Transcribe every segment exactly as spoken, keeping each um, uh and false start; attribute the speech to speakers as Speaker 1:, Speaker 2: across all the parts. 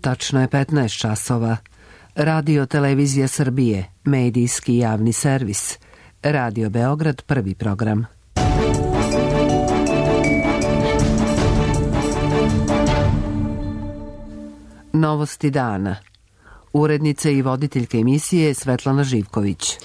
Speaker 1: Tačno je petnaest časova. Radio Televizija Srbije, medijski javni servis. Radio Beograd, prvi program. Novosti dana. Urednica i voditeljka emisije Svetlana Živković.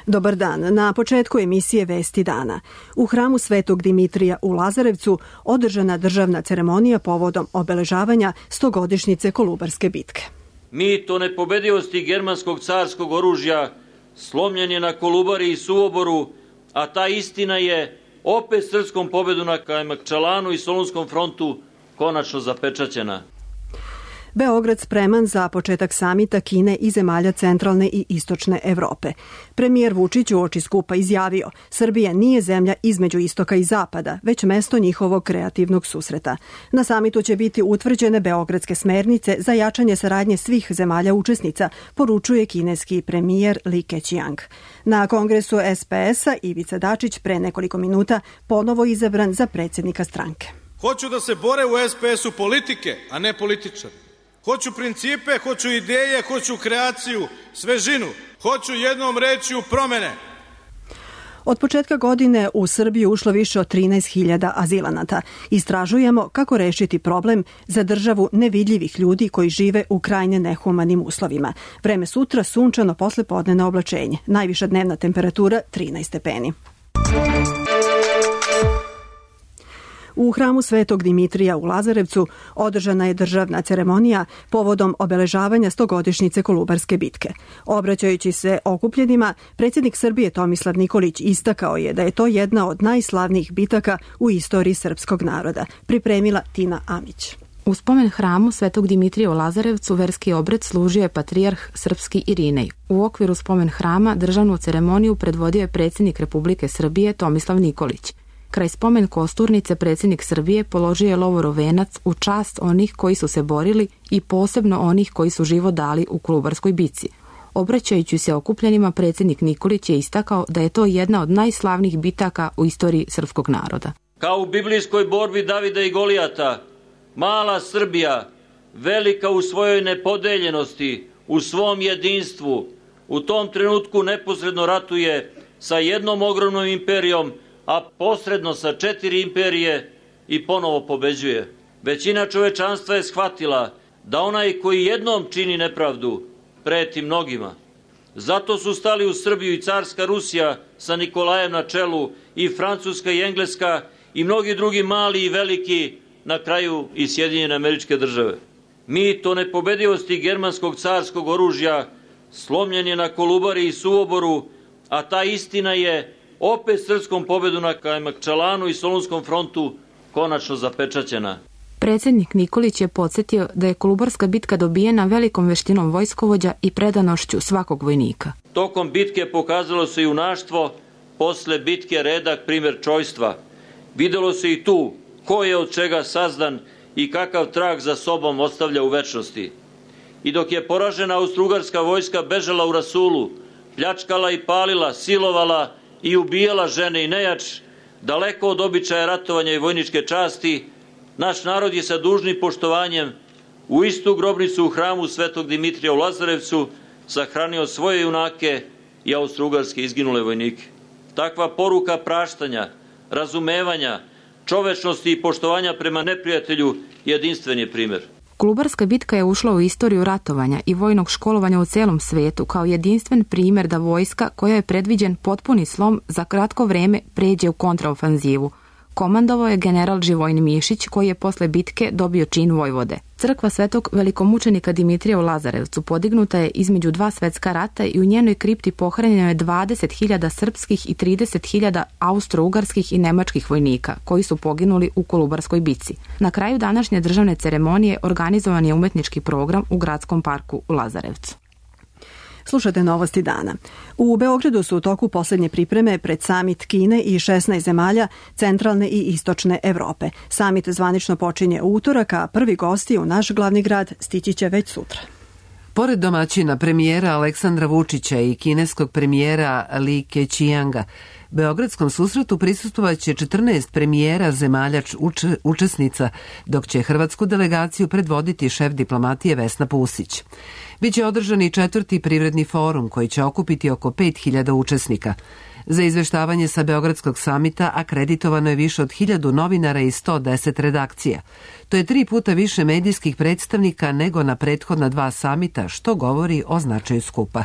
Speaker 2: Dobar dan. Na početku emisije Vesti dana. U hramu Svetog Dimitrija u Lazarevcu održana državna ceremonija povodom obeležavanja stogodišnjice Kolubarske bitke.
Speaker 3: Mit o nepobedivosti germanskog carskog oružja slomljen je na Kolubari i Suvoboru, a ta istina je opet srpskom pobedu na Kajmakčalanu i Solunskom frontu konačno zapečaćena.
Speaker 2: Beograd spreman za početak samita Kine i zemalja centralne i istočne Evrope. Premijer Vučić uoči skupa izjavio: Srbija nije zemlja između istoka i zapada, već mesto njihovog kreativnog susreta. Na samitu će biti utvrđene beogradske smernice za jačanje saradnje svih zemalja učesnica, poručuje kineski premijer Li Keqiang. Na kongresu es pe es-a Ivica Dačić pre nekoliko minuta ponovo izabran za predsjednika stranke.
Speaker 4: Hoću da se bore u es pe es-u politike, a ne političari. Hoću principe, hoću ideje, hoću kreaciju, svežinu. Hoću jednom rečju promene.
Speaker 2: Od početka godine u Srbiju ušlo više od trinaest hiljada azilanata. Istražujemo kako rešiti problem za državu nevidljivih ljudi koji žive u krajnje nehumanim uslovima. Vreme sutra sunčano poslepodnevno oblačenje. Najviša dnevna temperatura trinaest stepeni. U hramu Svetog Dimitrija u Lazarevcu održana je državna ceremonija povodom obeležavanja stogodišnjice Kolubarske bitke. Obraćajući se okupljenima, predsjednik Srbije Tomislav Nikolić istakao je da je to jedna od najslavnijih bitaka u istoriji srpskog naroda. Pripremila Tina Amić.
Speaker 5: U spomen hramu Svetog Dimitrija u Lazarevcu verski obred služio je patrijarh srpski Irinej. U okviru spomen hrama državnu ceremoniju predvodio je predsjednik Republike Srbije Tomislav Nikolić. Kraj spomen kosturnice predsjednik Srbije položio je lovorov venac u čast onih koji su se borili i posebno onih koji su život dali u Kolubarskoj bici. Obraćajući se okupljenima, predsjednik Nikolić je istakao da je to jedna od najslavnijih bitaka u istoriji srpskog naroda.
Speaker 3: Kao u biblijskoj borbi Davida i Golijata, mala Srbija, velika u svojoj nepodeljenosti, u svom jedinstvu, u tom trenutku neposredno ratuje sa jednom ogromnom imperijom, a posredno sa četiri imperije i ponovo pobeđuje. Većina čovečanstva je shvatila da onaj koji jednom čini nepravdu preti mnogima. Zato su stali u Srbiju i carska Rusija sa Nikolajem na čelu, i Francuska i Engleska i mnogi drugi mali i veliki, na kraju i Sjedinjene Američke Države. Mit o nepobedivosti germanskog carskog oružja slomljen je na Kolubari i Suvoboru, a ta istina je opet srpskom pobedu na Kajmakčalanu i Solunskom frontu konačno zapečaćena.
Speaker 5: Predsjednik Nikolić je podsjetio da je Kolubarska bitka dobijena velikom veštinom vojskovođa i predanošću svakog vojnika.
Speaker 3: Tokom bitke pokazalo se junaštvo, posle bitke redak primjer čojstva. Videlo se i tu ko je od čega sazdan i kakav trag za sobom ostavlja u večnosti. I dok je poražena austrougarska vojska bežala u rasulu, pljačkala i palila, silovala i ubijala žene i nejač, daleko od običaja ratovanja i vojničke časti, naš narod je sa dužnim poštovanjem u istu grobnicu u hramu Svetog Dimitrija u Lazarevcu sahranio svoje junake i austrougarske izginule vojnike. Takva poruka praštanja, razumevanja, čovečnosti i poštovanja prema neprijatelju jedinstven je primjer.
Speaker 5: Kolubarska bitka je ušla u istoriju ratovanja i vojnog školovanja u celom svetu kao jedinstven primjer da vojska, koja je predviđen potpuni slom, za kratko vreme pređe u kontraofanzivu. Komandovao je general Živojin Mišić, koji je posle bitke dobio čin vojvode. Crkva Svetog velikomučenika Dimitrija u Lazarevcu podignuta je između dva svetska rata i u njenoj kripti pohranjeno je dvadeset hiljada srpskih i trideset hiljada austro-ugarskih i nemačkih vojnika koji su poginuli u Kolubarskoj bici. Na kraju današnje državne ceremonije organizovan je umetnički program u gradskom parku u Lazarevcu.
Speaker 2: Slušate novosti dana. U Beogradu su u toku posljednje pripreme pred samit Kine i šesnaest zemalja centralne i istočne Evrope. Samit zvanično počinje u utorak, a prvi gosti u naš glavni grad stići će već sutra.
Speaker 1: Pored domaćina premijera Aleksandra Vučića i kineskog premijera Li Keqianga, Beogradskom susretu prisustvovaće četrnaest premijera zemalja uč, učesnica, dok će hrvatsku delegaciju predvoditi šef diplomatije Vesna Pusić. Biće održan i četvrti privredni forum koji će okupiti oko pet hiljada učesnika. Za izveštavanje sa Beogradskog samita akreditovano je više od hiljadu novinara i sto deset redakcija. To je tri puta više medijskih predstavnika nego na prethodna dva samita, što govori o značaju skupa.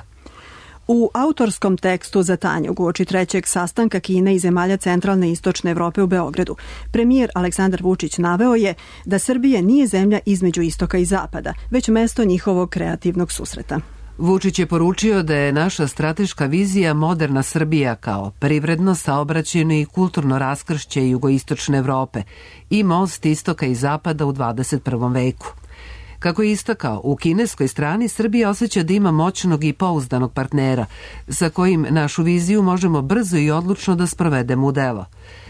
Speaker 2: U autorskom tekstu za Tanjug uoči trećeg sastanka Kine i zemalja centralne i istočne Evrope u Beogradu, premijer Aleksandar Vučić naveo je da Srbija nije zemlja između istoka i zapada, već mesto njihovog kreativnog susreta.
Speaker 1: Vučić je poručio da je naša strateška vizija moderna Srbija kao privredno, saobraćajno i kulturno raskršće jugoistočne Evrope i most istoka i zapada u dvadeset prvom veku. Kako je istakao, u kineskoj strani Srbija osjeća da ima moćnog i pouzdanog partnera, sa kojim našu viziju možemo brzo i odlučno da sprovedemo u delo.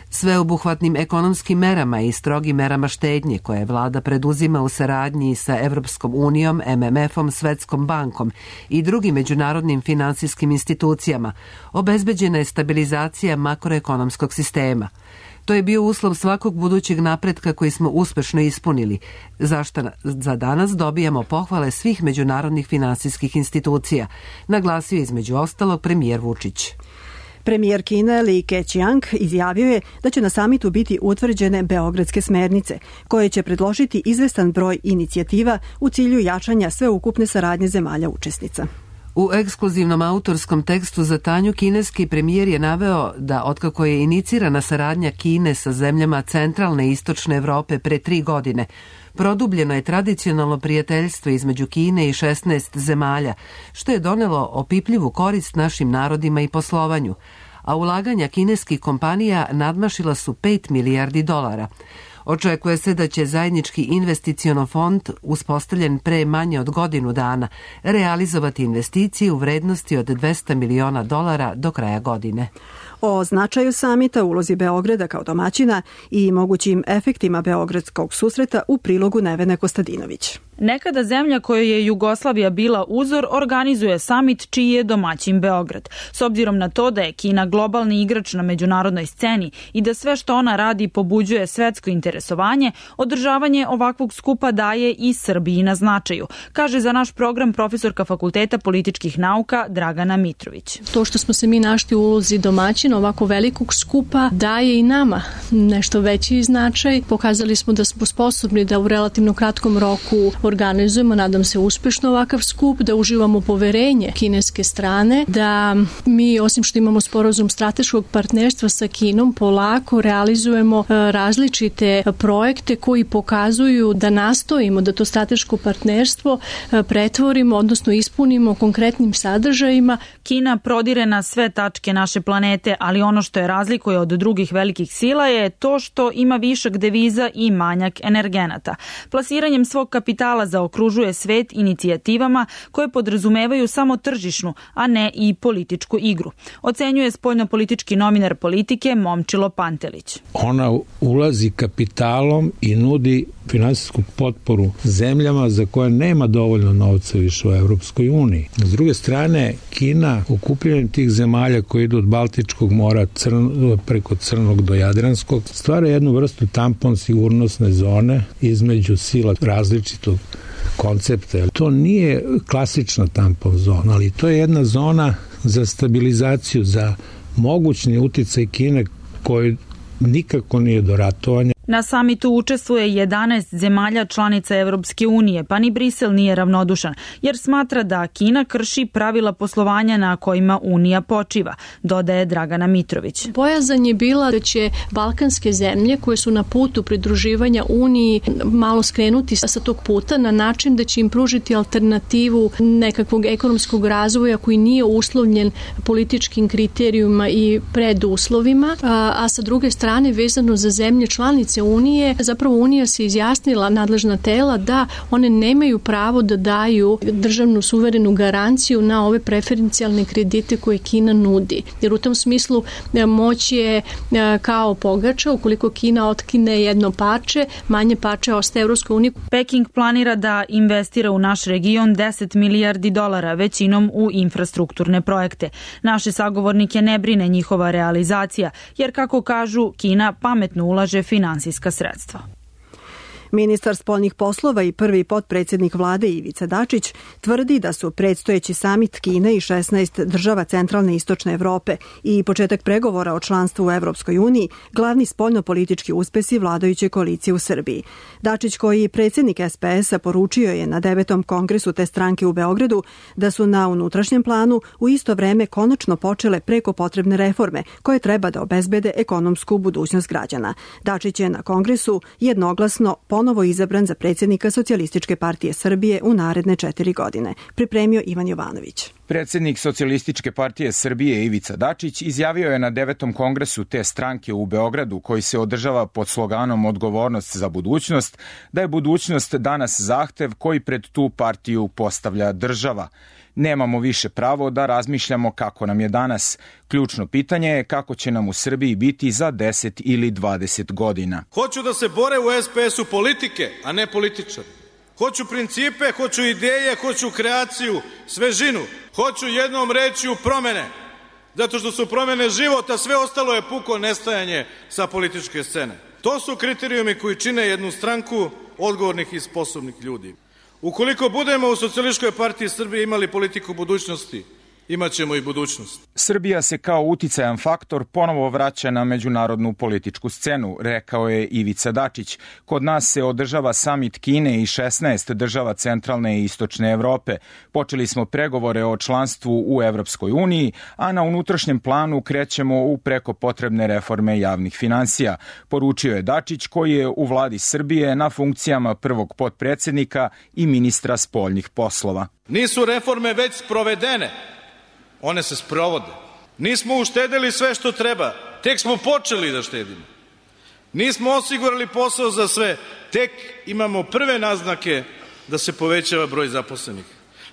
Speaker 1: Sveobuhvatnim ekonomskim merama i strogim merama štednje koje vlada preduzima u saradnji sa Evropskom unijom, M M F-om, Svetskom bankom i drugim međunarodnim finansijskim institucijama, obezbeđena je stabilizacija makroekonomskog sistema. To je bio uslov svakog budućeg napretka koji smo uspešno ispunili, zašto za danas dobijamo pohvale svih međunarodnih finansijskih institucija, naglasio između ostalog premijer Vučić.
Speaker 2: Premijer Kine Li Keqiang izjavio je da će na samitu biti utvrđene beogradske smernice, koje će predložiti izvestan broj inicijativa u cilju jačanja sveukupne saradnje zemalja učesnica.
Speaker 1: U ekskluzivnom autorskom tekstu za Tanju kineski premijer je naveo da otkako je inicirana saradnja Kine sa zemljama centralne i istočne Evrope pre tri godine, produbljeno je tradicionalno prijateljstvo između Kine i šesnaest zemalja, što je donelo opipljivu korist našim narodima i poslovanju, a ulaganja kineskih kompanija nadmašila su pet milijardi dolara. Očekuje se da će zajednički investiciono fond, uspostavljen pre manje od godinu dana, realizovati investicije u vrednosti od dvesta miliona dolara do kraja godine.
Speaker 2: O značaju samita, ulozi Beograda kao domaćina i mogućim efektima Beogradskog susreta u prilogu Nevene Kostadinović.
Speaker 6: Nekada zemlja kojoj je Jugoslavija bila uzor organizuje samit čiji je domaćin Beograd. S obzirom na to da je Kina globalni igrač na međunarodnoj sceni i da sve što ona radi pobuđuje svetsko interesovanje, održavanje ovakvog skupa daje i Srbiji na značaju, kaže za naš program profesorka Fakulteta političkih nauka Dragana Mitrović.
Speaker 7: To što smo se mi našli u ulozi domaćina ovako velikog skupa daje i nama nešto veći značaj. Pokazali smo da smo sposobni da u relativno kratkom roku organizujemo, nadam se uspešno ovakav skup, da uživamo poverenje kineske strane, da mi osim što imamo sporazum strateškog partnerstva sa Kinom, polako realizujemo različite projekte koji pokazuju da nastojimo da to strateško partnerstvo pretvorimo, odnosno ispunimo konkretnim sadržajima.
Speaker 6: Kina prodire na sve tačke naše planete, ali ono što je razlikuje od drugih velikih sila je to što ima višak deviza i manjak energenata. Plasiranjem svog kapitala zaokružuje svet inicijativama koje podrazumevaju samo tržišnu, a ne i političku igru. Ocenjuje spoljnopolitički novinar Politike Momčilo Pantelić.
Speaker 8: Ona ulazi kapitalom i nudi finansijsku potporu zemljama za koje nema dovoljno novca više u Evropskoj uniji. S druge strane, Kina, okupljanjem tih zemalja koji idu od Baltičkog mora crn, preko Crnog do Jadranskog, stvara jednu vrstu tampon sigurnosne zone između sila različitog koncepta. To nije klasična tampon zona, ali to je jedna zona za stabilizaciju, za mogućni uticaj Kine koji nikako nije do ratovanja.
Speaker 6: Na samitu učestvuje jedanaest zemalja članica Evropske unije, pa ni Brisel nije ravnodušan, jer smatra da Kina krši pravila poslovanja na kojima Unija počiva, dodaje Dragana Mitrović.
Speaker 7: Bojazan je bila da će balkanske zemlje koje su na putu pridruživanja Uniji malo skrenuti sa tog puta na način da će im pružiti alternativu nekakvog ekonomskog razvoja koji nije uslovljen političkim kriterijuma i preduslovima, a, a sa druge strane vezano za zemlje članice članice Unije. Zapravo Unija se izjasnila, nadležna tela, da one nemaju pravo da daju državnu suverenu garanciju na ove preferencijalne kredite koje Kina nudi. Jer u tom smislu moć je kao pogača, ukoliko Kina otkine jedno parče, manje parče ostaje Evropskoj uniji.
Speaker 6: Peking planira da investira u naš region deset milijardi dolara, većinom u infrastrukturne projekte. Naše sagovornike ne brine njihova realizacija, jer kako kažu, Kina pametno ulaže finansijska sredstva.
Speaker 2: Ministar spoljnih poslova i prvi potpredsjednik vlade Ivica Dačić tvrdi da su predstojeći samit Kine i šesnaest država centralne i istočne Evrope i početak pregovora o članstvu u Evropskoj uniji glavni spoljnopolitički uspesi vladajuće koalicije u Srbiji. Dačić, koji je predsjednik es pe es a, poručio je na devetom kongresu te stranke u Beogradu da su na unutrašnjem planu u isto vreme konačno počele preko potrebne reforme koje treba da obezbede ekonomsku budućnost građana. Dačić je na kongresu jednoglasno ponovo izabran za predsjednika Socijalističke partije Srbije u naredne četiri godine. Pripremio Ivan Jovanović.
Speaker 9: Predsjednik Socijalističke partije Srbije Ivica Dačić izjavio je na devetom kongresu te stranke u Beogradu, koji se održava pod sloganom Odgovornost za budućnost, da je budućnost danas zahtev koji pred tu partiju postavlja država. Nemamo više pravo da razmišljamo kako nam je danas. Ključno pitanje je kako će nam u Srbiji biti za deset ili dvadeset godina.
Speaker 4: Hoću da se bore u es pe es u politike, a ne političari. Hoću principe, hoću ideje, hoću kreaciju, svežinu. Hoću jednom reći u promene. Zato što su promene života, sve ostalo je puko nestajanje sa političke scene. To su kriterijumi koji čine jednu stranku odgovornih i sposobnih ljudi. Ukoliko budemo u Socijalističkoj partiji Srbije imali politiku budućnosti, imaćemo i budućnost.
Speaker 9: Srbija se kao uticajan faktor ponovo vraća na međunarodnu političku scenu, rekao je Ivica Dačić. Kod nas se održava samit Kine i šesnaest država centralne i istočne Evrope. Počeli smo pregovore o članstvu u Evropskoj uniji, a na unutrašnjem planu krećemo u preko potrebne reforme javnih finansija, poručio je Dačić, koji je u vladi Srbije na funkcijama prvog potpredsjednika i ministra spoljnih poslova.
Speaker 4: Nisu reforme već sprovedene. One se sprovode. Nismo uštedeli sve što treba, tek smo počeli da štedimo. Nismo osigurali posao za sve, tek imamo prve naznake da se povećava broj zaposlenih.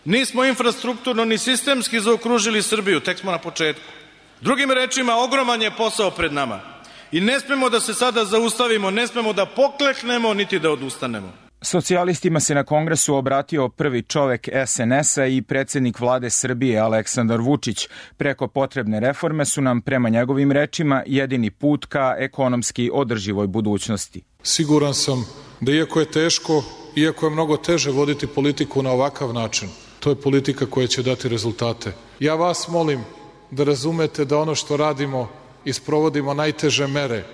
Speaker 4: Nismo infrastrukturno ni sistemski zaokružili Srbiju, tek smo na početku. Drugim rečima, ogroman je posao pred nama. I ne smemo da se sada zaustavimo, ne smemo da pokleknemo, niti da odustanemo.
Speaker 9: Socijalistima se na kongresu obratio prvi čovek es en es a i predsjednik vlade Srbije Aleksandar Vučić. Preko potrebne reforme su nam, prema njegovim rečima, jedini put ka ekonomski održivoj budućnosti.
Speaker 10: Siguran sam da iako je teško, iako je mnogo teže voditi politiku na ovakav način, to je politika koja će dati rezultate. Ja vas molim da razumete da ono što radimo i sprovodimo najteže mere,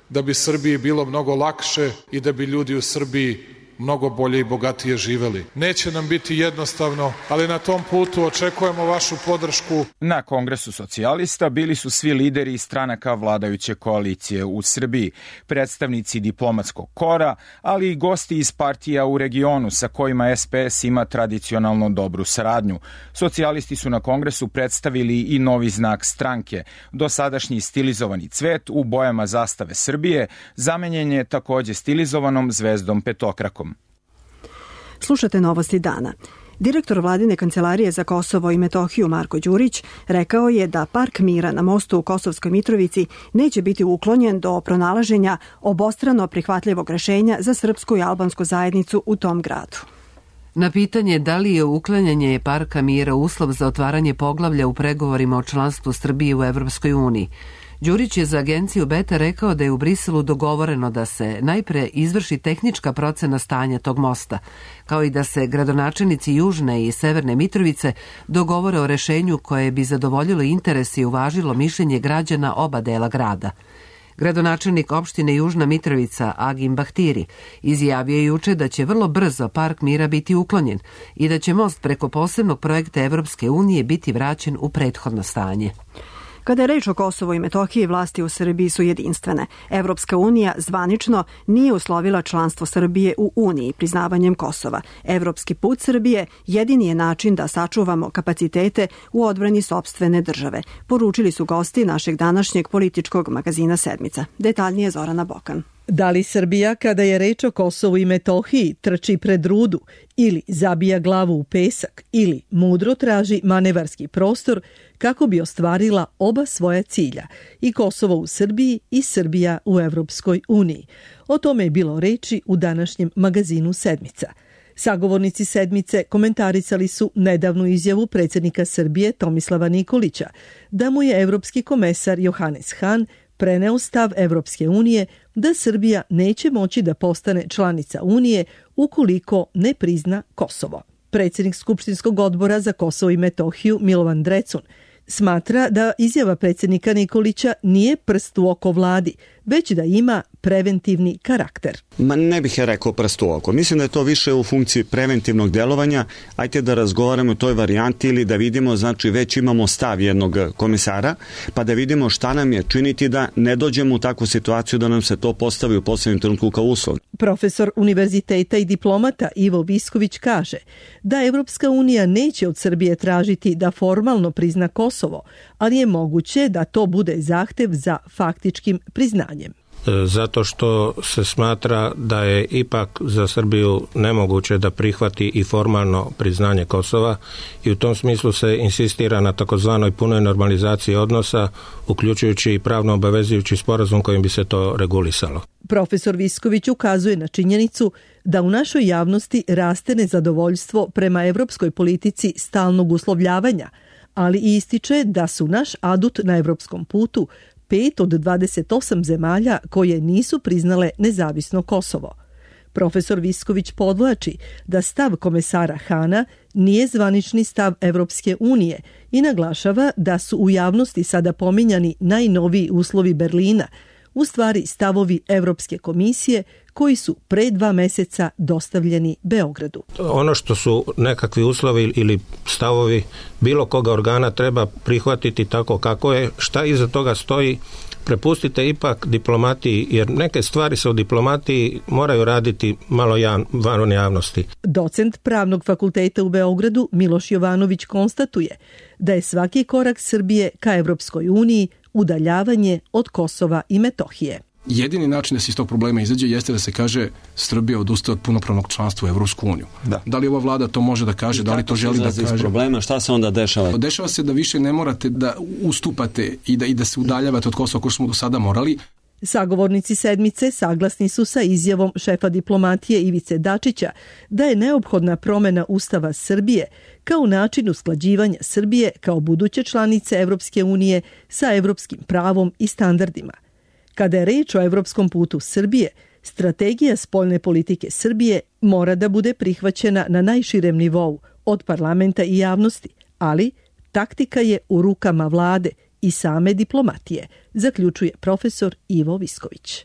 Speaker 10: da bi Srbiji bilo mnogo lakše i da bi ljudi u Srbiji mnogo bolje i bogatije živeli. Neće nam biti jednostavno, ali na tom putu očekujemo vašu podršku.
Speaker 9: Na kongresu socijalista bili su svi lideri stranaka vladajuće koalicije u Srbiji, predstavnici diplomatskog kora, ali i gosti iz partija u regionu sa kojima es pe es ima tradicionalno dobru saradnju. Socijalisti su na kongresu predstavili i novi znak stranke. Dosadašnji stilizovani cvet u bojama zastave Srbije zamenjen je takođe stilizovanom zvezdom petokrakom.
Speaker 2: Slušate Novosti dana. Direktor vladine kancelarije za Kosovo i Metohiju Marko Đurić rekao je da Park mira na mostu u Kosovskoj Mitrovici neće biti uklonjen do pronalaženja obostrano prihvatljivog rešenja za srpsku i albansku zajednicu u tom gradu.
Speaker 1: Na pitanje da li je uklanjanje Parka mira uslov za otvaranje poglavlja u pregovorima o članstvu Srbije u Evropskoj uniji, Đurić je za agenciju Beta rekao da je u Briselu dogovoreno da se najpre izvrši tehnička procena stanja tog mosta, kao i da se gradonačelnici Južne i Severne Mitrovice dogovore o rešenju koje bi zadovoljilo interes i uvažilo mišljenje građana oba dela grada. Gradonačelnik opštine Južna Mitrovica Agim Bahtiri izjavio je juče da će vrlo brzo Park mira biti uklonjen i da će most preko posebnog projekta Evropske unije biti vraćen u prethodno stanje.
Speaker 2: Kada je reč o Kosovu i Metohiji, vlasti u Srbiji su jedinstvene. Evropska unija zvanično nije uslovila članstvo Srbije u Uniji priznavanjem Kosova. Evropski put Srbije jedini je način da sačuvamo kapacitete u odbrani sopstvene države, poručili su gosti našeg današnjeg političkog magazina Sedmica. Detaljnije Zorana Bokan.
Speaker 11: Da li Srbija, kada je reč o Kosovu i Metohiji, trči pred rudu ili zabija glavu u pesak ili mudro traži manevarski prostor kako bi ostvarila oba svoja cilja, i Kosovo u Srbiji i Srbija u Evropskoj uniji? O tome je bilo reči u današnjem magazinu Sedmica. Sagovornici Sedmice komentarisali su nedavnu izjavu predsjednika Srbije Tomislava Nikolića da mu je evropski komesar Johannes Hahn preneo stav Evropske unije da Srbija neće moći da postane članica Unije ukoliko ne prizna Kosovo. Predsjednik Skupštinskog odbora za Kosovo i Metohiju Milovan Drecun smatra da izjava predsjednika Nikolića nije prst u oko vladi, već da ima preventivni karakter.
Speaker 12: Ma ne bih ja rekao prst u oko. Mislim da je to više u funkciji preventivnog delovanja. Ajde da razgovaramo o toj varijanti ili da vidimo, znači već imamo stav jednog komesara, pa da vidimo šta nam je činiti da ne dođemo u takvu situaciju da nam se to postavi u poslednjem trenutku kao uslov.
Speaker 11: Profesor univerziteta i diplomata Ivo Visković kaže da Evropska unija neće od Srbije tražiti da formalno prizna Kosovo, ali je moguće da to bude zahtev za faktičkim priznanjem.
Speaker 13: Zato što se smatra da je ipak za Srbiju nemoguće da prihvati i formalno priznanje Kosova, i u tom smislu se insistira na takozvanoj punoj normalizaciji odnosa, uključujući i pravno obavezujući sporazum kojim bi se to regulisalo.
Speaker 11: Profesor Visković ukazuje na činjenicu da u našoj javnosti raste nezadovoljstvo prema evropskoj politici stalnog uslovljavanja, ali i ističe da su naš adut na evropskom putu pet od dvadeset osam zemalja koje nisu priznale nezavisno Kosovo. Profesor Visković podvlači da stav komesara Hana nije zvanični stav Evropske unije i naglašava da su u javnosti sada pominjani najnoviji uslovi Berlina, u stvari stavovi Evropske komisije koji su pre dva meseca dostavljeni Beogradu.
Speaker 13: Ono što su nekakvi uslovi ili stavovi bilo koga organa treba prihvatiti tako kako je, šta iza toga stoji, prepustite ipak diplomatiji, jer neke stvari se u diplomatiji moraju raditi malo jav, van javnosti.
Speaker 11: Docent Pravnog fakulteta u Beogradu Miloš Jovanović konstatuje da je svaki korak Srbije ka Evropskoj uniji udaljavanje od Kosova i Metohije.
Speaker 14: Jedini način da se iz tog problema izađe jeste da se kaže Srbija odustaje od punopravnog članstva u Evropsku uniju. Da. Da li ova vlada to može da kaže, da li to želi da kaže?
Speaker 12: Iz problema, šta se onda dešava?
Speaker 14: Dešava se da više ne morate da ustupate i da, i da se udaljavate od Kosova, kao što smo do sada morali.
Speaker 11: Sagovornici Sedmice saglasni su sa izjavom šefa diplomatije Ivice Dačića da je neophodna promena Ustava Srbije kao način usklađivanja Srbije kao buduće članice Evropske unije sa evropskim pravom i standardima. Kada je reč o evropskom putu Srbije, strategija spoljne politike Srbije mora da bude prihvaćena na najširem nivou od parlamenta i javnosti, ali taktika je u rukama vlade i same diplomatije, zaključuje profesor Ivo Visković.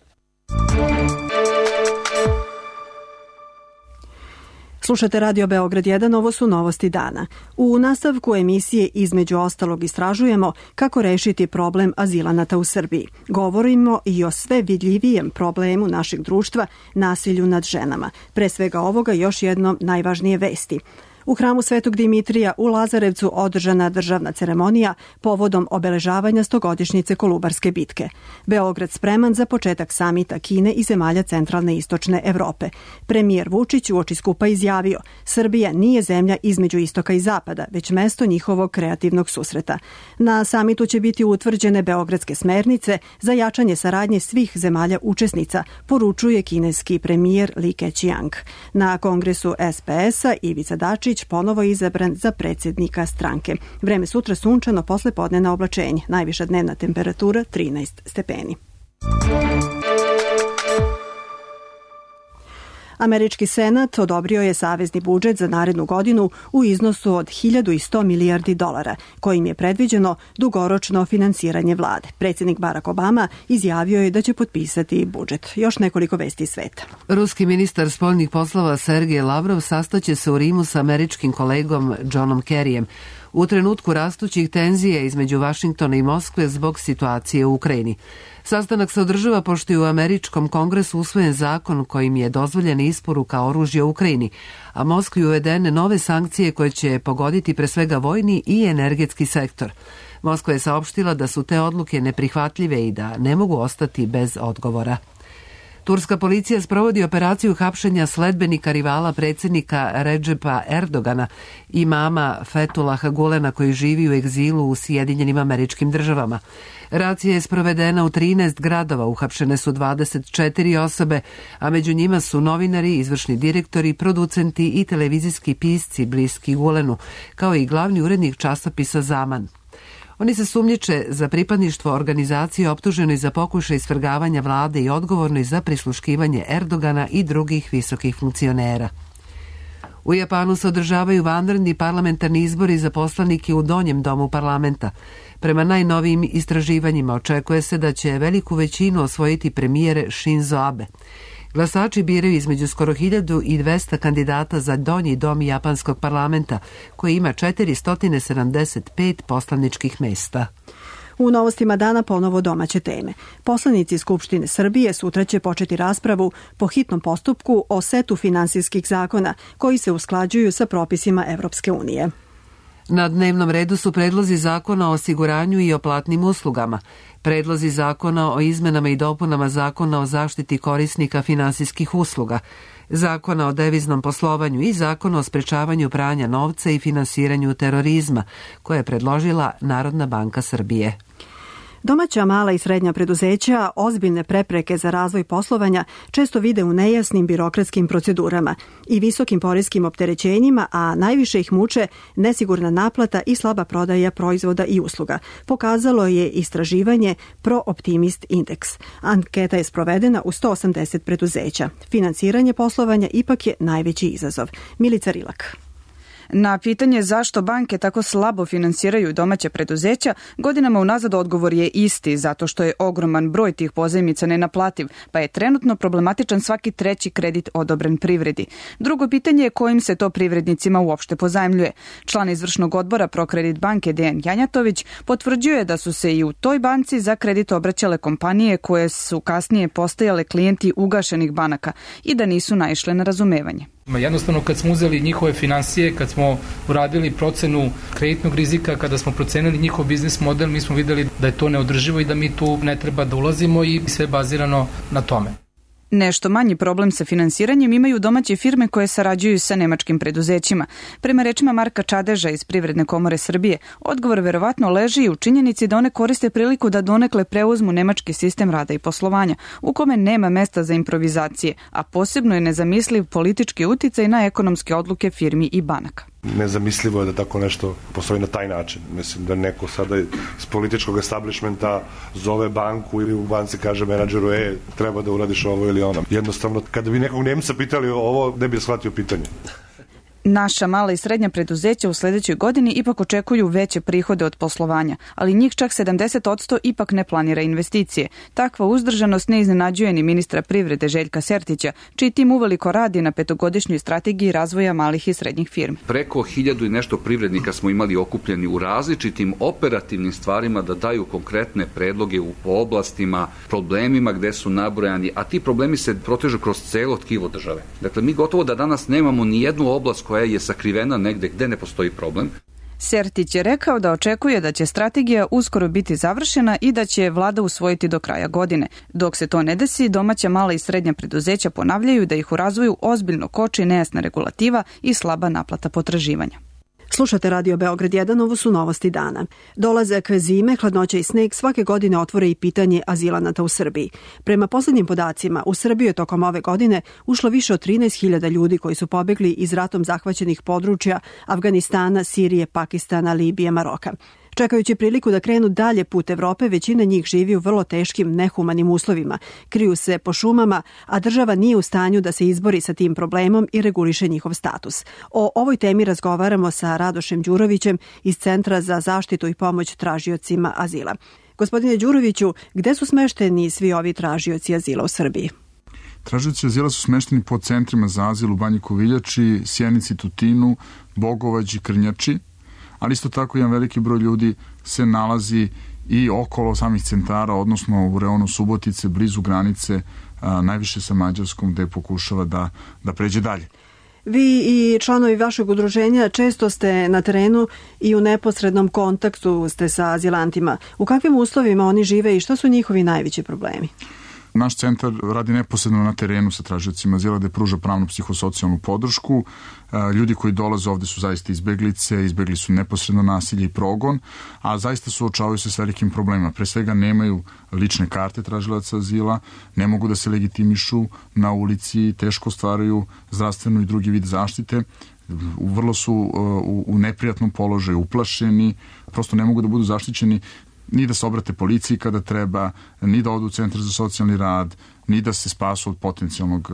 Speaker 2: Slušate Radio Beograd jedan, ovo su novosti dana. U nastavku emisije između ostalog istražujemo kako rešiti problem azilanata u Srbiji. Govorimo i o sve vidljivijem problemu našeg društva, nasilju nad ženama. Pre svega ovoga još jednom najvažnije vesti. U hramu Svetog Dimitrija u Lazarevcu održana državna ceremonija povodom obeležavanja stogodišnjice Kolubarske bitke. Beograd spreman za početak samita Kine i zemalja centralne i istočne Evrope. Premijer Vučić uoči skupa izjavio: Srbija nije zemlja između istoka i zapada, već mesto njihovog kreativnog susreta. Na samitu će biti utvrđene beogradske smernice za jačanje saradnje svih zemalja učesnica, poručuje kineski premijer Li Keqiang. Na kongresu S P S-a Ivica Dačić ponovo izabran za predsjednika stranke. Vreme sutra sunčano, posle podnevna oblačenje. Najviša dnevna temperatura trinaest stepeni. Američki senat odobrio je savezni budžet za narednu godinu u iznosu od hiljadu sto milijardi dolara, kojim je predviđeno dugoročno finansiranje vlade. Predsjednik Barack Obama izjavio je da će potpisati budžet. Još nekoliko vesti iz sveta.
Speaker 1: Ruski ministar spoljnih poslova Sergej Lavrov sastaće se u Rimu sa američkim kolegom Johnom Kerryjem u trenutku rastućih tenzija između Vašingtona i Moskve zbog situacije u Ukrajini. Sastanak se održava pošto je u američkom kongresu usvojen zakon kojim je dozvoljena isporuka oružja u Ukrajini, a Moskvi uvedene nove sankcije koje će pogoditi pre svega vojni i energetski sektor. Moskva je saopštila da su te odluke neprihvatljive i da ne mogu ostati bez odgovora. Turska policija sprovodi operaciju hapšenja sledbenika rivala predsjednika Redžepa Erdogana, imama Fethullaha Gulena koji živi u egzilu u Sjedinjenim Američkim Državama. Racija je sprovedena u trinaest gradova, uhapšene su dvadeset četiri osobe, a među njima su novinari, izvršni direktori, producenti i televizijski pisci bliski Gulenu, kao i glavni urednik časopisa Zaman. Oni se sumnjiče za pripadništvo organizacije optuženoj za pokušaj svrgavanja vlade i odgovornoj za prisluškivanje Erdogana i drugih visokih funkcionera. U Japanu se održavaju vanredni parlamentarni izbori za poslanike u donjem domu parlamenta. Prema najnovijim istraživanjima očekuje se da će veliku većinu osvojiti premijer Shinzo Abe. Glasači biraju između skoro hiljadu dvesta kandidata za donji dom japanskog parlamenta, koji ima četiristo sedamdeset pet poslaničkih mesta.
Speaker 2: U novostima dana ponovo domaće teme. Poslanici Skupštine Srbije sutra će početi raspravu po hitnom postupku o setu finansijskih zakona koji se usklađuju sa propisima Evropske unije.
Speaker 1: Na dnevnom redu su predlozi zakona o osiguranju i o platnim uslugama, predlozi zakona o izmenama i dopunama zakona o zaštiti korisnika finansijskih usluga, zakona o deviznom poslovanju i zakona o sprečavanju pranja novca i finansiranju terorizma, koje je predložila Narodna banka Srbije.
Speaker 2: Domaća, mala i srednja preduzeća ozbiljne prepreke za razvoj poslovanja često vide u nejasnim birokratskim procedurama i visokim poreskim opterećenjima, a najviše ih muče nesigurna naplata i slaba prodaja proizvoda i usluga. Pokazalo je istraživanje ProOptimist Index. Anketa je sprovedena u sto osamdeset preduzeća. Finansiranje poslovanja ipak je najveći izazov. Milica Rilak.
Speaker 15: Na pitanje zašto banke tako slabo finansiraju domaća preduzeća, godinama unazad odgovor je isti, zato što je ogroman broj tih pozajmica nenaplativ, pa je trenutno problematičan svaki treći kredit odobren privredi. Drugo pitanje je kojim se to privrednicima uopšte pozajmljuje. Član izvršnog odbora Prokredit banke Dejan Janjatović potvrđuje da su se i u toj banci za kredit obraćale kompanije koje su kasnije postajale klijenti ugašenih banaka i da nisu naišle na razumevanje.
Speaker 16: Jednostavno kad smo uzeli njihove finansije, kad smo uradili procenu kreditnog rizika, kada smo procenili njihov biznis model, mi smo videli da je to neodrživo i da mi tu ne treba da ulazimo i sve bazirano na tome.
Speaker 15: Nešto manji problem sa finansiranjem imaju domaće firme koje sarađuju sa nemačkim preduzećima. Prema rečima Marka Čadeža iz Privredne komore Srbije, odgovor verovatno leži i u činjenici da one koriste priliku da donekle preuzmu nemački sistem rada i poslovanja, u kome nema mesta za improvizacije, a posebno je nezamisliv politički uticaj na ekonomske odluke firmi i banaka.
Speaker 17: Nezamislivo je da tako nešto postoji na taj način. Mislim da neko sada iz političkog establishmenta zove banku ili u banci kaže menadžeru, e, treba da uradiš ovo ili ono. Jednostavno, kada bi nekog Nemca pitali ovo, ne bi shvatio pitanje.
Speaker 15: Naša mala i srednja preduzeća u sledećoj godini ipak očekuju veće prihode od poslovanja, ali njih čak sedamdeset posto ipak ne planira investicije. Takva uzdržanost ne iznenađuje ni ministra privrede Željka Sertića, čiji tim uveliko radi na petogodišnjoj strategiji razvoja malih i srednjih firmi.
Speaker 18: Preko hiljadu i nešto privrednika smo imali okupljeni u različitim operativnim stvarima da daju konkretne predloge u oblastima, problemima gde su nabrojani, a ti problemi se protežu kroz celo tkivo države. Dakle, mi gotovo da danas nemamo ni jednu oblast koja je sakrivena negde gde ne postoji problem.
Speaker 15: Sertić je rekao da očekuje da će strategija uskoro biti završena i da će vlada usvojiti do kraja godine. Dok se to ne desi, domaća mala i srednja preduzeća ponavljaju da ih u razvoju ozbiljno koči nejasna regulativa i slaba naplata potraživanja.
Speaker 2: Slušate Radio Beograd jedan, ovo su novosti dana. Dolazak zime, hladnoća i sneg svake godine otvore i pitanje azilanata u Srbiji. Prema poslednjim podacima, u Srbiju je tokom ove godine ušlo više od trinaest hiljada ljudi koji su pobegli iz ratom zahvaćenih područja Afganistana, Sirije, Pakistana, Libije, Maroka. Čekajući priliku da krenu dalje put Evrope, većina njih živi u vrlo teškim, nehumanim uslovima. Kriju se po šumama, a država nije u stanju da se izbori sa tim problemom i reguliše njihov status. O ovoj temi razgovaramo sa Radošem Đurovićem iz Centra za zaštitu i pomoć tražiocima azila. Gospodine Đuroviću, gde su smešteni svi ovi tražioci azila u Srbiji?
Speaker 19: Tražioci azila su smešteni po centrima za azil u Banji Koviljači, Sjenici, Tutinu, Bogovađi, Krnjači, ali isto tako jedan veliki broj ljudi se nalazi i okolo samih centara, odnosno u reonu Subotice, blizu granice, a, najviše sa Mađarskom, gde pokušava da, da pređe dalje.
Speaker 2: Vi i članovi vašeg udruženja često ste na terenu i u neposrednom kontaktu ste sa azilantima. U kakvim uslovima oni žive i šta su njihovi najveći problemi?
Speaker 19: Naš centar radi neposredno na terenu sa tražiocima azila gde pruža pravnu psihosocijalnu podršku. Ljudi koji dolaze ovde su zaista izbeglice, izbegli su neposredno nasilje i progon, a zaista suočavaju se s velikim problemima. Pre svega nemaju lične karte tražilaca azila, ne mogu da se legitimišu na ulici, teško ostvaraju zdravstvenu i drugi vid zaštite, vrlo su u, u neprijatnom položaju, uplašeni, prosto ne mogu da budu zaštićeni ni da se obrate policiji kada treba, ni da odu u centar za socijalni rad, ni da se spasu od potencijalnog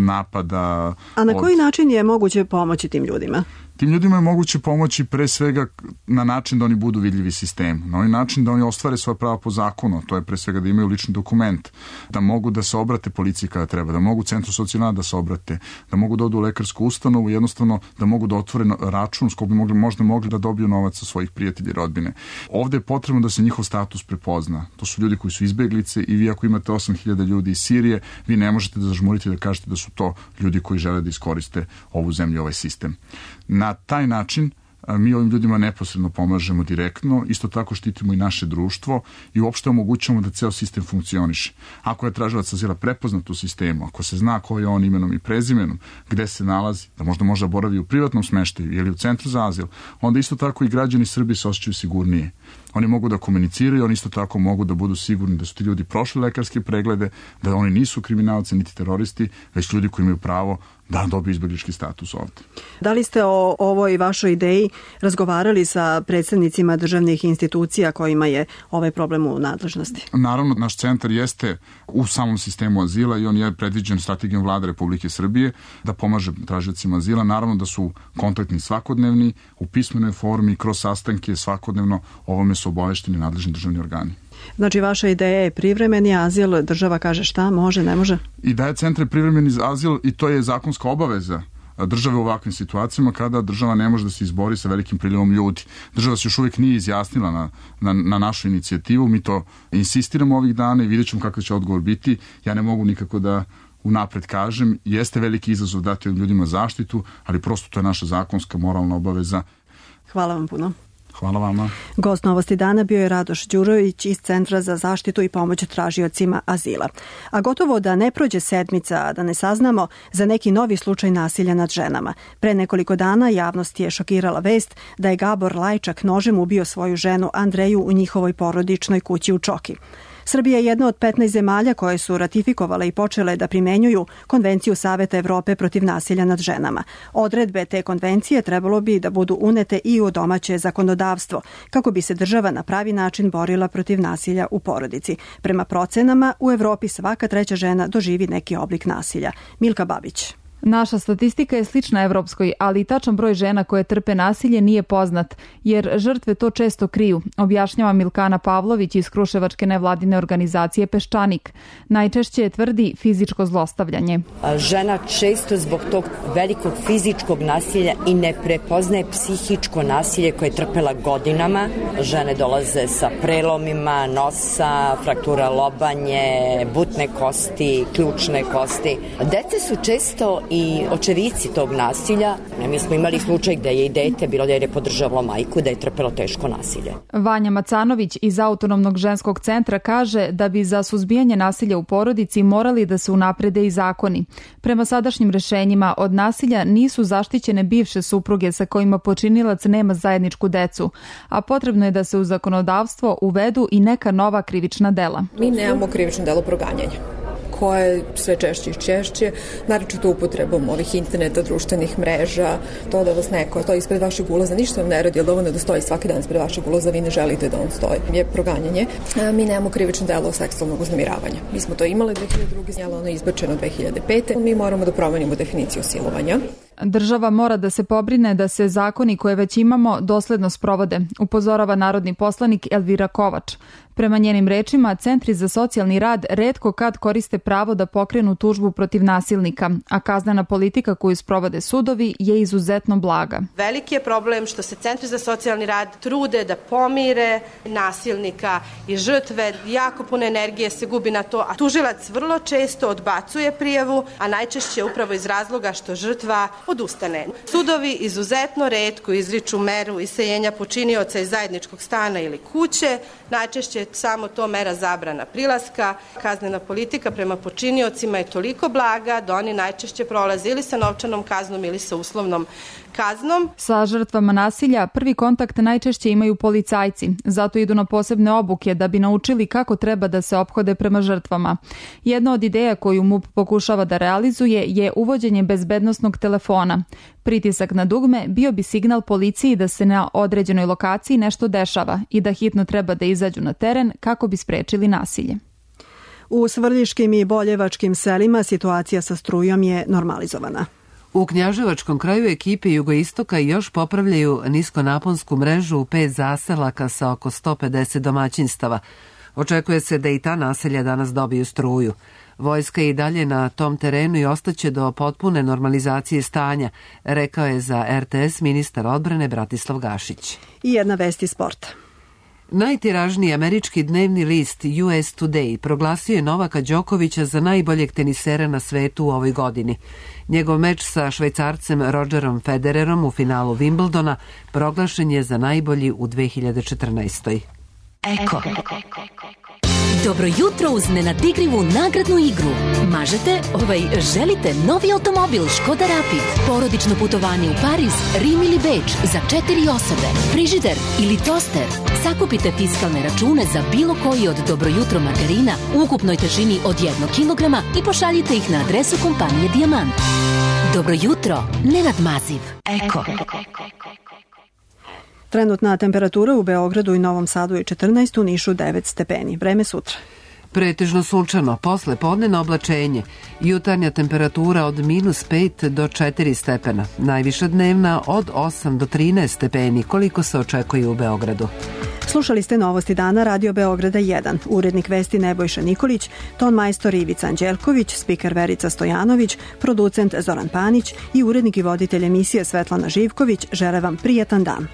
Speaker 19: napada.
Speaker 2: A na koji
Speaker 19: od...
Speaker 2: način je moguće pomoći tim ljudima?
Speaker 19: Tim ljudima je moguće pomoći pre svega na način da oni budu vidljivi sistem, na ovaj način da oni ostvare svoja prava po zakonu, to je pre svega da imaju lični dokument, da mogu da se obrate policiji kada treba, da mogu centru socijalna da se obrate, da mogu da odu u lekarsku ustanovu, jednostavno da mogu da otvore račun s kojim bi mogli, možda mogli da dobiju novac sa svojih prijatelja i rodbine. Ovde je potrebno da se njihov status prepozna. To su ljudi koji su izbeglice i vi ako imate osam hiljada ljudi iz Sirije, vi ne možete da zažmurite da kažete da su to ljudi koji žele da iskoriste ovu zemlju, ovaj sistem. Na taj način mi ovim ljudima neposredno pomažemo direktno, isto tako štitimo i naše društvo i uopšte omogućamo da ceo sistem funkcioniše. Ako je tražilac azila prepoznat u sistemu, ako se zna ko je on imenom i prezimenom, gde se nalazi, da možda možda boravi u privatnom smeštaju ili u centru za azil, onda isto tako i građani Srbije se osjećaju sigurnije. Oni mogu da komuniciraju, oni isto tako mogu da budu sigurni da su ti ljudi prošli lekarske preglede, da oni nisu kriminalci niti teroristi, već ljudi koji imaju pravo da dobiju izbeglički status ovde.
Speaker 2: Da li ste o ovoj vašoj ideji razgovarali sa predstavnicima državnih institucija kojima je ovaj problem u nadležnosti?
Speaker 19: Naravno, naš centar jeste u samom sistemu azila i on je predviđen strategijom Vlade Republike Srbije da pomaže tražiocima azila. Naravno da su kontaktni svakodnevni, u pismenoj formi, kroz sastanke svakodnevno ovome su obavešteni nadležni državni organi.
Speaker 2: Znači, vaša ideja je privremeni azil, država kaže šta, može, ne može?
Speaker 19: Ideja centra je privremeni azil i to je zakonska obaveza države u ovakvim situacijama kada država ne može da se izbori sa velikim priljevom ljudi. Država se još uvijek nije izjasnila na, na, na našu inicijativu, mi to insistiramo ovih dana i vidjet ćemo kakav će odgovor biti. Ja ne mogu nikako da unapred kažem, jeste veliki izazov dati od ljudima zaštitu, ali prosto to je naša zakonska moralna obaveza.
Speaker 2: Hvala vam puno.
Speaker 19: Hvala vama.
Speaker 2: Gost Novosti dana bio je Radoš Đurović iz Centra za zaštitu i pomoć tražiocima azila. A gotovo da ne prođe sedmica, da ne saznamo za neki novi slučaj nasilja nad ženama. Pre nekoliko dana javnost je šokirala vest da je Gabor Lajčak nožem ubio svoju ženu Andreju u njihovoj porodičnoj kući u Čoki. Srbija je jedna od petnaest zemalja koje su ratifikovale i počele da primenjuju Konvenciju Saveta Evrope protiv nasilja nad ženama. Odredbe te konvencije trebalo bi da budu unete i u domaće zakonodavstvo, kako bi se država na pravi način borila protiv nasilja u porodici. Prema procenama, u Evropi svaka treća žena doživi neki oblik nasilja. Milka Babić.
Speaker 20: Naša statistika je slična evropskoj, ali tačan broj žena koje trpe nasilje nije poznat, jer žrtve to često kriju, objašnjava Milkana Pavlović iz kruševačke nevladine organizacije Peščanik. Najčešće tvrdi fizičko zlostavljanje.
Speaker 21: Žena često zbog tog velikog fizičkog nasilja i ne prepoznaje psihičko nasilje koje je trpela godinama. Žene dolaze sa prelomima nosa, fraktura lobanje, butne kosti, ključne kosti. Dece su često i očevici tog nasilja. Mi smo imali slučaj gde je i dete bilo da je podržavalo majku, da je trpelo teško nasilje.
Speaker 20: Vanja Macanović iz Autonomnog ženskog centra kaže da bi za suzbijanje nasilja u porodici morali da se unaprede i zakoni. Prema sadašnjim rešenjima od nasilja nisu zaštićene bivše supruge sa kojima počinilac nema zajedničku decu, a potrebno je da se u zakonodavstvo uvedu i neka nova krivična dela.
Speaker 22: Mi nemamo krivično delo proganjanja, koje je sve češće i češće, naročito upotrebom ovih interneta, društvenih mreža, to da vas neko stoji ispred vašeg ulaza, ništa vam ne radi, jer dovoljno da stoji svaki dan ispred vašeg ulaza, vi ne želite da on stoji. Je proganjanje. Mi nemamo krivično delo seksualnog uznemiravanja. Mi smo to imali dve hiljade druge. Znjela, ono je izbačeno dve hiljade pete. Mi moramo da promenimo definiciju silovanja.
Speaker 20: Država mora da se pobrine da se zakoni koje već imamo dosledno sprovode, upozorava narodni poslanik Elvira Kovač. Prema njenim rečima, centri za socijalni rad retko kad koriste pravo da pokrenu tužbu protiv nasilnika, a kaznena politika koju sprovode sudovi je izuzetno blaga.
Speaker 23: Veliki je problem što se centri za socijalni rad trude da pomire nasilnika i žrtve, jako puno energije se gubi na to, a tužilac vrlo često odbacuje prijavu, a najčešće upravo iz razloga što žrtva odustane. Sudovi izuzetno retko izriču meru iseljenja počinioca iz zajedničkog stana ili kuće, najčešće je samo to mera zabrana prilaska. Kaznena politika prema počiniocima je toliko blaga da oni najčešće prolaze ili sa novčanom kaznom ili sa uslovnom kaznom.
Speaker 20: Sa žrtvama nasilja prvi kontakt najčešće imaju policajci, zato idu na posebne obuke da bi naučili kako treba da se ophode prema žrtvama. Jedna od ideja koju M U P pokušava da realizuje je uvođenje bezbednosnog telefona. Pritisak na dugme bio bi signal policiji da se na određenoj lokaciji nešto dešava i da hitno treba da izađu na teren kako bi sprečili nasilje.
Speaker 2: U svrljiškim i boljevačkim selima situacija sa strujom je normalizovana.
Speaker 1: U Knjaževačkom kraju ekipe Jugoistoka još popravljaju niskonaponsku mrežu u pet zaselaka sa oko sto pedeset domaćinstava. Očekuje se da i ta naselja danas dobiju struju. Vojska je i dalje na tom terenu i ostaće do potpune normalizacije stanja, rekao je za R T S ministar odbrane Bratislav Gašić.
Speaker 2: I jedna vest iz sporta.
Speaker 1: Najtiražniji američki dnevni list U S Today proglasio je Novaka Đokovića za najboljeg tenisera na svetu u ovoj godini. Njegov meč sa Švajcarcem Rodgerom Federerom u finalu Wimbledona proglašen je za najbolji u dve hiljade četrnaestoj.
Speaker 3: Eko. Dobro jutro uz nenadigrivu nagradnu igru. Mažete, ovaj, želite novi automobil Škoda Rapid, porodično putovanje u Pariz, Rim ili Beč za četiri osobe, frižider ili toster. Sakupite fiskalne račune za bilo koji od Dobro jutro margarina u ukupnoj težini od jednog kilograma i pošaljite ih na adresu kompanije Dijamant. Dobro jutro, Nenad Maziv. Eko.
Speaker 2: Trenutna temperatura u Beogradu i Novom Sadu je četrnaest, u Nišu devet stepeni. Vreme sutra.
Speaker 1: Pretežno sunčano, posle podnevno oblačenje. Jutarnja temperatura od minus pet do četiri stepena. Najviša dnevna od osam do trinaest stepeni, koliko se očekuje u Beogradu.
Speaker 2: Slušali ste Novosti dana Radio Beograda jedan. Urednik vesti Nebojša Nikolić, ton majstor Ivica Anđelković, spiker Verica Stojanović, producent Zoran Panić i urednik i voditelj emisije Svetlana Živković žele vam prijetan dan.